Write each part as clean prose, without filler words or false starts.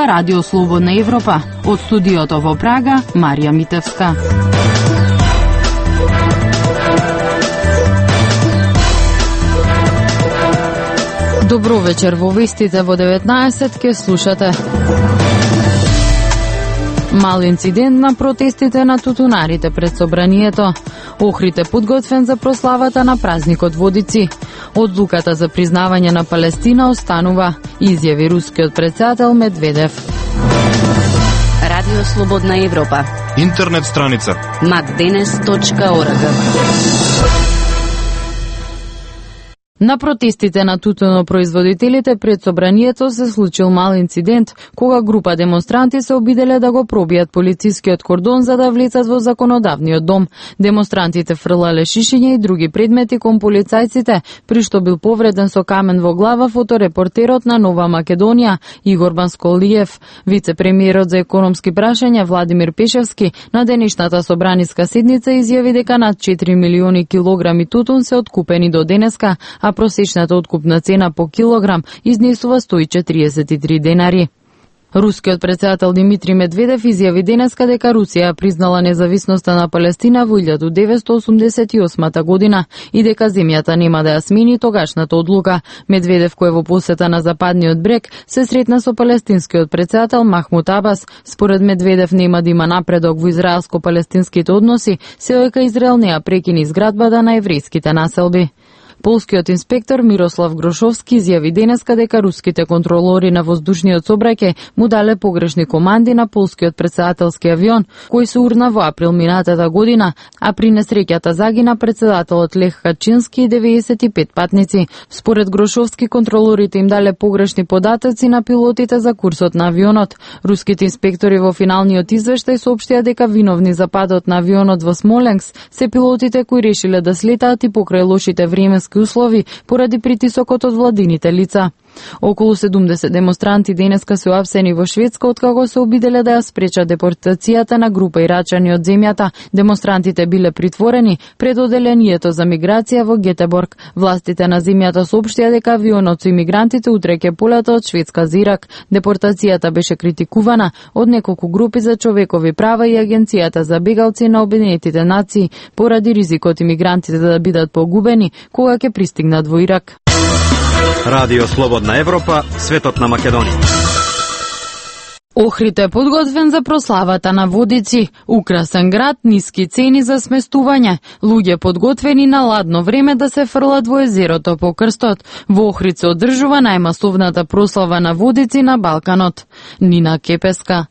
ова Радио Слободна Европа. Од студиото во Прага, Марија Митевска. Добро вечер, во вестите во 19 ке слушате. Мал инцидент на протестите на тутунарите пред собранието. Охрид е подготвен за прославата на празникот Водици. Одлуката за признавање на Палестина останува, изјави рускиот претседател Медведев. Радио Слободна Европа. Интернет страница macdenes.org. На протестите на тутунопроизводителите пред собранието се случил мал инцидент, кога група демонстранти се обиделе да го пробијат полицискиот кордон за да влезат во законодавниот дом. Демонстрантите фрлале шишиња и други предмети кон полицајците, при што бил повреден со камен во глава фоторепортерот на Нова Македонија Игор Бансколиев. Вице-премиерот за економски прашања Владимир Пешевски на денешната собраниска седница изјави дека над 4 милиони килограми тутун се откупени до денеска, а просечната откупна цена по килограм изнесува 143 денари. Рускиот претседател Димитри Медведев изјави денеска дека Русија признала независноста на Палестина во 1988 година и дека земјата нема да ја смени тогашната одлука. Медведев, кој во посета на Западниот брег, се сретна со палестинскиот претседател Махмуд Абас. Според Медведев нема да има напредок во израелско-палестинските односи, се дека Израел не ја прекини изградбата на еврејските населби. Полскиот инспектор Мирослав Грошовски изјави денеска дека руските контролори на воздушниот сообраќај му дале погрешни команди на полскиот претседателски авион, кој се урна во април минатата година, а при несреќата загина претседателот Лех Качински и 95 патници. Според Грошовски, контролорите им дале погрешни податоци на пилотите за курсот на авионот. Руските инспектори во финалниот извештај соопштија дека виновни за падот на авионот во Смоленск се пилотите кои решиле да слетаат и покрај лошите временски услови поради притисокот од владините лица. Околу 70 демонстранти денеска се уапсени во Шведска откако се обиделе да ја спречат депортацијата на група ирачани од земјата. Демонстрантите биле притворени пред оделението за миграција во Гетеборг. Властите на земјата соопштија дека авионот со имигрантите утре ќе полета од Шведска за Ирак. Депортацијата беше критикувана од неколку групи за човекови права и Агенцијата за бегалци на Обединетите нации поради ризикот имигрантите да бидат погубени кога ќе пристигнат во Ирак. Радио Слободна Европа, светот на Македонија. Охрид е подготвен за прославата на Водици. Украсен град, ниски цени за сместување. Луѓе подготвени на ладно време да се фрлат во езерото по крстот. Во Охрид се одржува најмасовната прослава на Водици на Балканот. Нина Кепеска.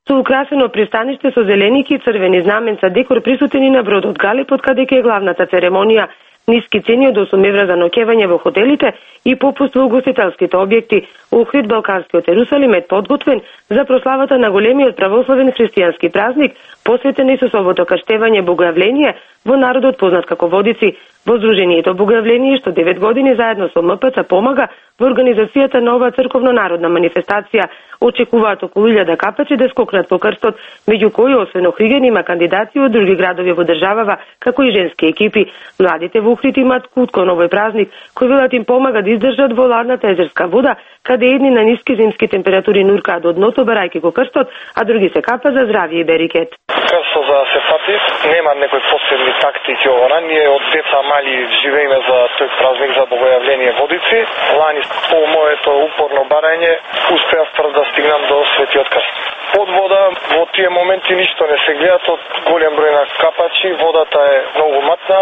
Со украсено пристаниште со зеленики и црвени знаменца декор присутени на бродот Галипот, каде ќе е главната церемонија. Ниски цени од 8 евра за ноќевање во хотелите и попуст во угостителските објекти. Охрид, Балканскиот Ерусалим е подготвен за прославата на големиот православен христијански празник, посветен Исусовото крштевање Богојавление во народот познат како Водици. Во Здруженијето Богојавление, што 9 години заедно со МПЦ помага во организацијата на оваа црковно-народна манифестација. Очекуваат околу 1000 капачи да скокнат по крстот, меѓу кои освен охригени има кандидати од други градови во државава, како и женски екипи. Младите во Охрид имаат кут кон овој празник, кој велат им помага да издржат во ладната езерска вода, каде едни на ниски зимски температури нуркаат од дното барајќи го крстот, а други се капа за здравје и берикет. Крстот за да се фати, нема некои посебни тактики ова. Ние од деца мали живееме за тој празник за Богојавление Водици. Лани по моето упорно барање успеав прв да стигнам до Светиот крст. Под вода во тие моменти ништо не се гледат од голем број на капачи, водата е многу матна,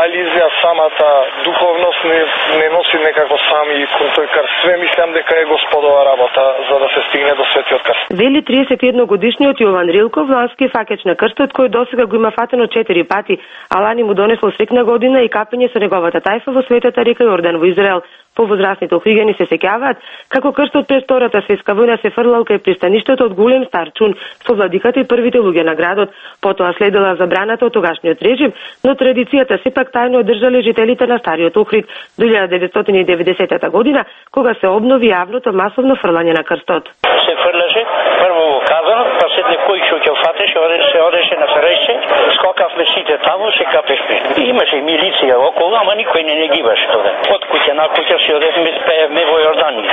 али за самата духовност не носи некако сами кон тој крст. Све мислам дека е Господова работа за да се стигне до Светиот крст. Вели 31 годишниот Јован Рилков, лански факеч на крстот, кој досега го има фатено 4 пати, а лани му донесло срекна година и капење со неговата тајфа во светата река Јордан во Израел. Повозрастните охригени се сеќаваат како крстот пред Втората светска војна се фрлал кај пристаништето од голем стар чун со владиката и првите луѓе на градот. Потоа следела забраната од тогашниот режим, но традицијата сепак тајно одржале жителите на стариот Охрид до 1990 година, кога се обнови јавното масовно фрлање на крстот. Се фрлаше прво ово казано, па седне кој ќе фатеше, одеше на среща, скокавме сите таму, се капешме. Имаше милиција околу, ама никој не гибаше тоа. Од куќа на куќа се одевме, спеевме во Јорданија.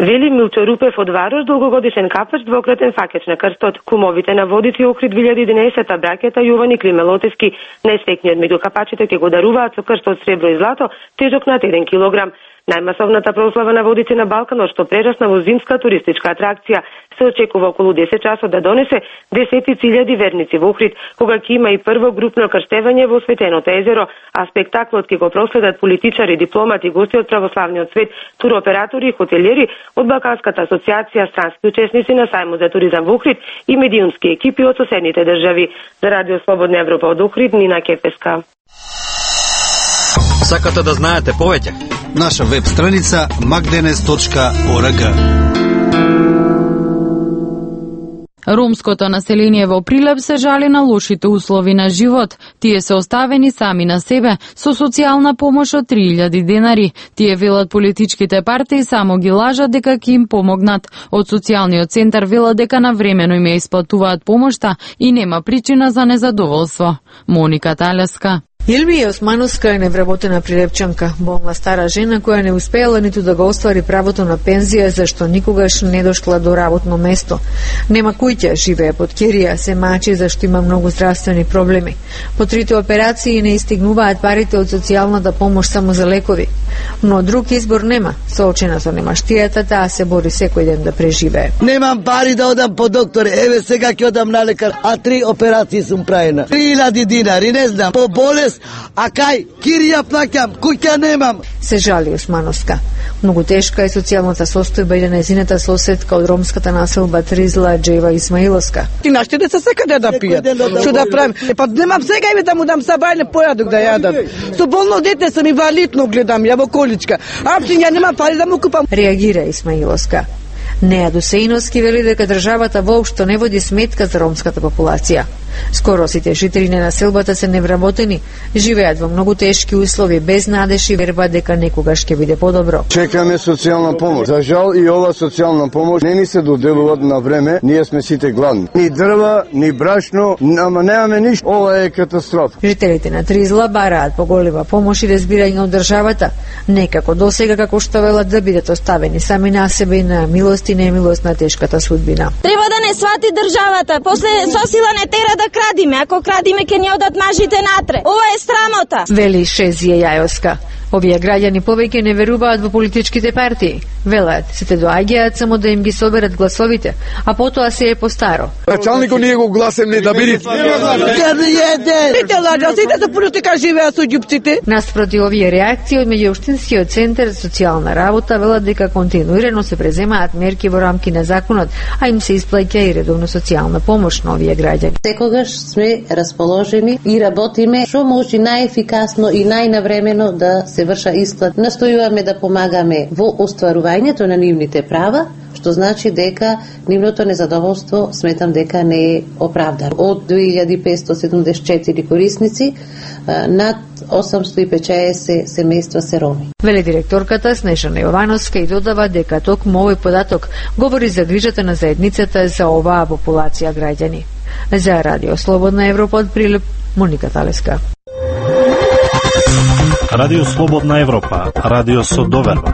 Вели Милчо Рупев од Варош, долгогодишен капач, двократен факеч на крстот. Кумовите на Водици Охрид 2011 бракета Јован и Климе Лотевски, најстекниот меѓу капачите ќе го даруваат со крстот сребро и злато, тежок над 1 килограм. Најмасовната прослава на Водици на Балканот, што прерасна во зимска туристичка атракција, се очекува околу 10 часот да донесе десетици илјади верници во Охрид, кога ќе има и прво групно крштевање во осветеното езеро, а спектаклот ќе го проследат политичари, дипломати, гости од православниот свет, туроператори и хотелиери од Балканската асоциација, странски учесници на сајмот за туризам во Охрид и медиумски екипи од соседните држави. За Радио Слободна Европа од Охрид, Нина Кефеска. Сакате да знаете повеќе? Наша веб страница magdenes.org. Ромското население во Прилеп се жали на лошите услови на живот. Тие се оставени сами на себе со социјална помош од 3000 денари. Тие велат политичките партии само ги лажат дека ќе им помогнат. Од социјалниот центар велат дека навремено им ја исплатуваат помошта и нема причина за незадоволство. Моника Талеска. Илмија Османовска е невработена прилепчанка, болна стара жена која не успеала ниту да го оствари правото на пензија зашто никогаш не дошла до работно место. Нема куќа, живее под керија, се мачи зашто има многу здравствени проблеми. По 3 операции не истигнуваат парите од социјалната помош само за лекови. Но друг избор нема. Соочена со немаштијата, таа се бори секој ден да преживее. Немам пари да одам по доктор, еве сега ќе одам на лекар, а 3 операции сум правена. 3000 динари, не знам, по болест. А кај, кирија плаќам, куќа немам. Се жали Османовска. Многу тешка е социјалната состојба и на нејзината соседка од ромската населба Тризла, Джева Исмаиловска. И нашите деца секаде да пијат. Што да правим? Па немам сега и да му дам сабајне појадок да јадат. Со болно дете сам инвалидно гледам, ја во количка. Апсин ја немам пари да му купам. Реагира Исмаиловска. Неа Досеиновски вели дека државата воопшто не води сметка за ромската популација. Скоро сите жители на населбата се невработени, живеат во многу тешки услови, без надеж и верба дека некогаш ќе биде подобро. Чекаме социјална помош. За жал и ова социјална помош не ни се доделува на време, ние сме сите гладни. Ни дрва, ни брашно, ама немаме ништо. Ова е катастрофа. Жителите на Тризла бараат поголема помош и разбирање од државата, некако досега како што велат да бидат оставени сами на себе и на милост и немилост на тешката судбина. Треба да не свати државата, после со сила не тера да крадиме, ако крадиме ќе ни одат мажите натре. Ова е срамота. Вели Шезија Јајовска. Овие граѓани повеќе не веруваат во политичките партии. Велат, сите доаѓаат само да им ги соберат гласовите, а потоа се е постаро. Началникот ние го гласемли да биде. Сите лажат, сите за политика живеат со ѓупците. Наспроти овие реакции од меѓуопштинскиот центар за социјална работа велат дека континуирано се преземаат мерки во рамки на законот, а им се исплаќа и редовно социјална помош на овие граѓани. Секогаш сме расположени и работиме што може најефикасно и најнавремено да се врша исплат. Настојуваме да помагаме во остварувањето на нивните права, што значи дека нивното незадоволство сметам дека не е оправдано. Од 2574 корисници, над 850 семејства се роми. Вели директорката Снежана Јовановска и додава дека токму овој податок говори за грижата на заедницата за оваа популација граѓани. За Радио Слободна Европа од Прилеп, Моника Талеска. Радио Слободна Европа, радио со доверба.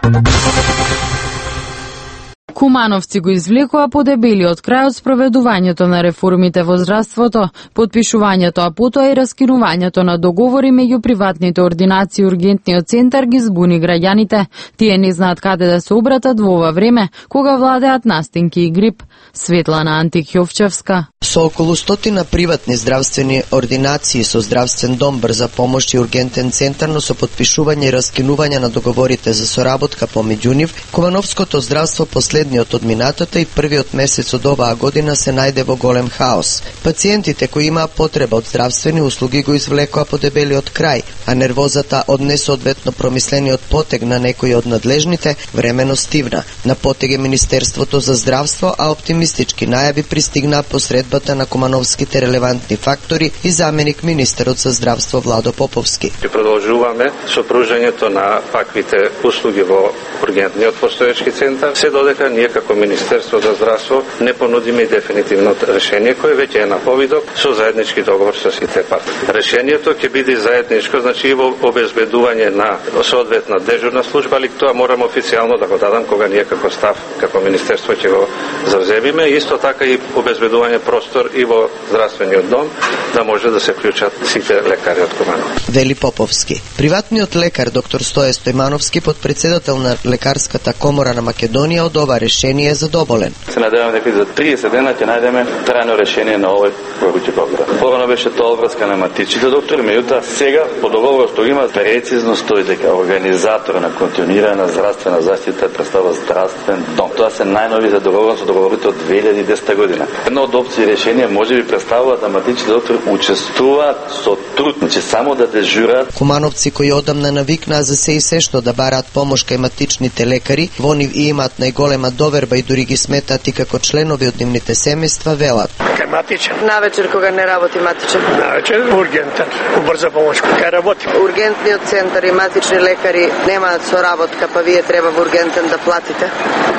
Кумановци го извлекоа подебелиот крај од спроведувањето на реформите во здравството, подпишувањето, а потоа и раскинувањето на договори меѓу приватните ординации и ургентниот центар ги збуни граѓаните. Тие не знаат каде да се обратат во ова време, кога владеат настинки и грип. Светлана Антик-Јовчевска. Со околу 100 приватни здравствени ординации со здравствен дом, брза помош и ургентен центар, но со подпишување и раскинување на договорите за соработка помеѓу нив, Кумановското здравство последниот од минатата и првиот месец од оваа година се најде во голем хаос. Пациентите кои имаа потреба од здравствени услуги го извлекоа подебелиот крај, а нервозата од несоодветно промислениот потег на некои од надлежните времено стивна. На потег е Министерството за здравство, а оптимистички најави пристигнаа посредбата на кумановските релевантни фактори и заменик министерот за здравство Владо Поповски. Продолжуваме со пружањето на ваквите услуги во ургентниот постоечки центар, се додека ние како Министерство за здравство не понудиме дефинитивно решение кое веќе е на повидок со заеднички договор со сите партии. Решението ќе биде заедничко, значи и во обезбедување на соодветна дежурна служба, али тоа морам официјално да го дадам кога ние како став, како Министерство ќе го завземиме. Исто така и обезбедување простор и во здравствениот дом да може да се вклучат сите лекари од Куманово. Вели Поповски. Приватниот лекар доктор Стоје Стојмановски, подпредседател на Лекарската комора на Македонија, од ова решение е задоволен. Се надеваме дека за 30 дена ќе најдеме трајно решение на овој горуќи проблем. Порано беше тоа врска на матичните доктори, меѓутоа сега по договорот што има прецизно стои дека организатор на континуирана здравствена заштита представа здравствен дом. Тоа се најнови за договорот со договорите од 2010 година. Една од опции решение можеби представува да матичните доктори учествуваат со труд, значи само да дежурат. Кумановци кои одамна навикнаа за се и се што да бараат помош кај матичните лекари, во нив и имаат најголема доверба и дури ги сметаат и како членови од нивните семејства, велат. Кај матичен. Навечер кога не работи матичен. Навечер ургентен, убрза помош кај работи. Ургентниот центар и матични лекари немаат соработка, па вие треба во ургентен да платите.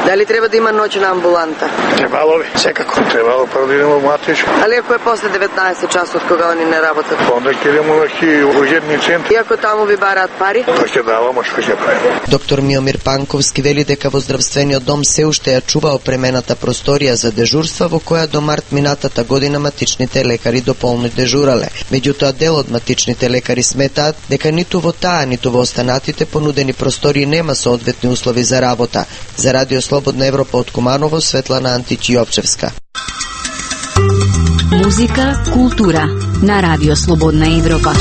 Дали треба да има ноќна амбуланта? Требало би, секако. Требало прво да идемо матичен. Али ако е после 19 часот кога они не работат? Онда ќе идемо на ургентни центри. И ако таму ви бараат пари? Тоа ќе даваме, што ќе правиме. Доктор Миомир Панковски вели дека во здравствениот дом се уште ја чува опремената просторија за дежурства во која до март минатата година матичните лекари дополно дежурале. Меѓутоа дел од матичните лекари сметаат дека ниту во таа, ниту во останатите понудени простории нема соодветни услови за работа. За Радио Слободна Европа од Куманово, Светлана Античиопчевска. Музика, култура на Радио Слободна Европа.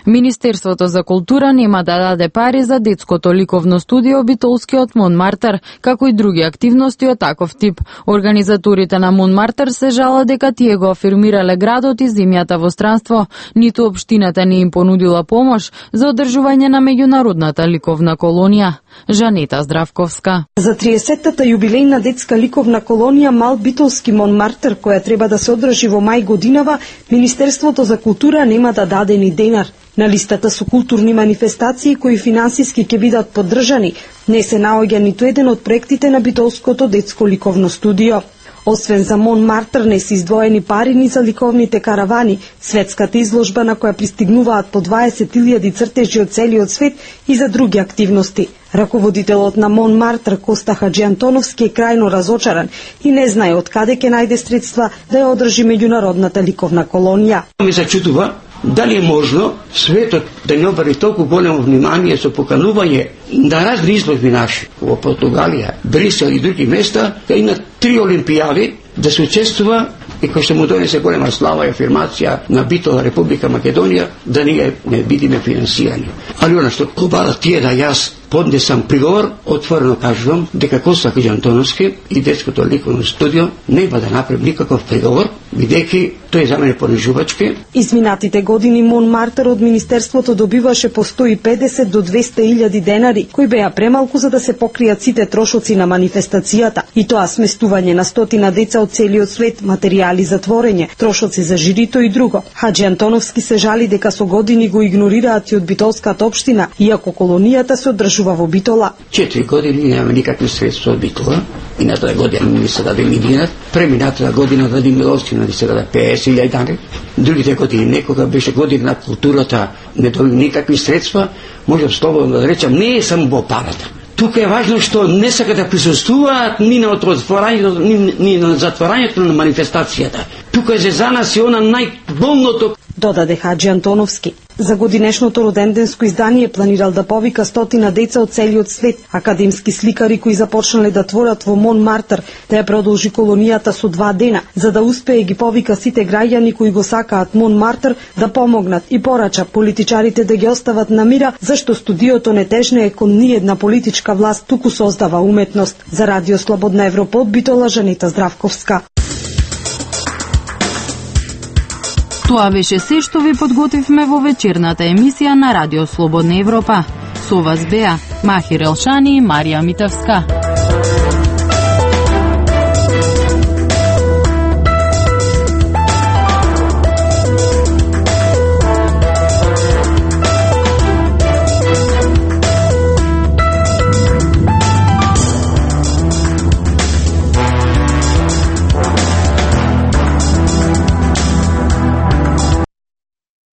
Министерството за култура нема да даде пари за детското ликовно студио Битолскиот Монмартер, како и други активности од таков тип. Организаторите на Монмартер се жала дека тие го афирмирале градот и земјата во странство, ниту општината не им понудила помош за одржување на меѓународната ликовна колонија. Жанета Здравковска. За 30-тата јубилејна детска ликовна колонија Мал Битолски Монмартер, која треба да се одржи во мај годинава, Министерството за култура нема да даде ни денар. На листата со културни манифестации кои финансиски ќе бидат поддржани, не се наоѓа ниту еден од проектите на Битолското детско ликовно студио. Освен за Монмартер не се издвоени пари ни за ликовните каравани, светската изложба на која пристигнуваат по 20.000 цртежи од целиот свет и за други активности. Раководителот на Монмартер Коста Хаджиантоновски е крајно разочаран и не знае од каде ќе најде средства да ја одржи меѓународната ликовна колонија. Ме зачудува дали е можно светот да не обрати толку големо внимание со поканување на разни изложби наши во Португалија, Брисел и други места, да има 3 олимпијади да се учествува и кој што му донесе голема слава и афирмација на Битола Република Македонија, да ние не бидиме финансирани. Али она што обара тие да јас поднесам приговор, отворено кажувам дека Коста Хаджиантоновски и детското ликовно студио нема да направи никаков приговор, бидејќи тој за мене понижувачки. Изминатите години Монмартер од Министерството добиваше по 150 до 200.000 денари, кои беа премалку за да се покријат сите трошоци на манифестацијата, и тоа сместување на стотина деца од целиот свет, материјали за творење, трошоци за жирито и друго. Хаджиантоновски се жали дека со години го игнорираат и од битолската општина, иако колонијата се одржува во Битола. 4 години нема никакви средства од Битола. Минатата година ми се даде милионат, преминатата година даде Миловщина, ни се даде 50.000 дани. Другите години некога беше година на културата, не доби никакви средства, можам слободно да речам, не е само во парата. Тука е важно што не сака да присуствуваат ни на отворањето, ни на затворањето на манифестацијата. Тука е за нас и она најболното, додаде Хаджиантоновски. За годинешното роденденско издание планирал да повика стотина деца од целиот свет, академски сликари кои започнале да творат во Монмартер, да ја продолжи колонијата со 2 дена, за да успее ги повика сите граѓани кои го сакаат Монмартер да помогнат и порача политичарите да ги остават на мира, зашто студиото не тежне кон ниедна политичка власт, туку создава уметност. За Радио Слободна Европа од Битола, Жанета Здравковска. Тоа беше се што ви подготвивме во вечерната емисија на Радио Слободна Европа. Со вас беа Махир Елшани и Марија Митевска.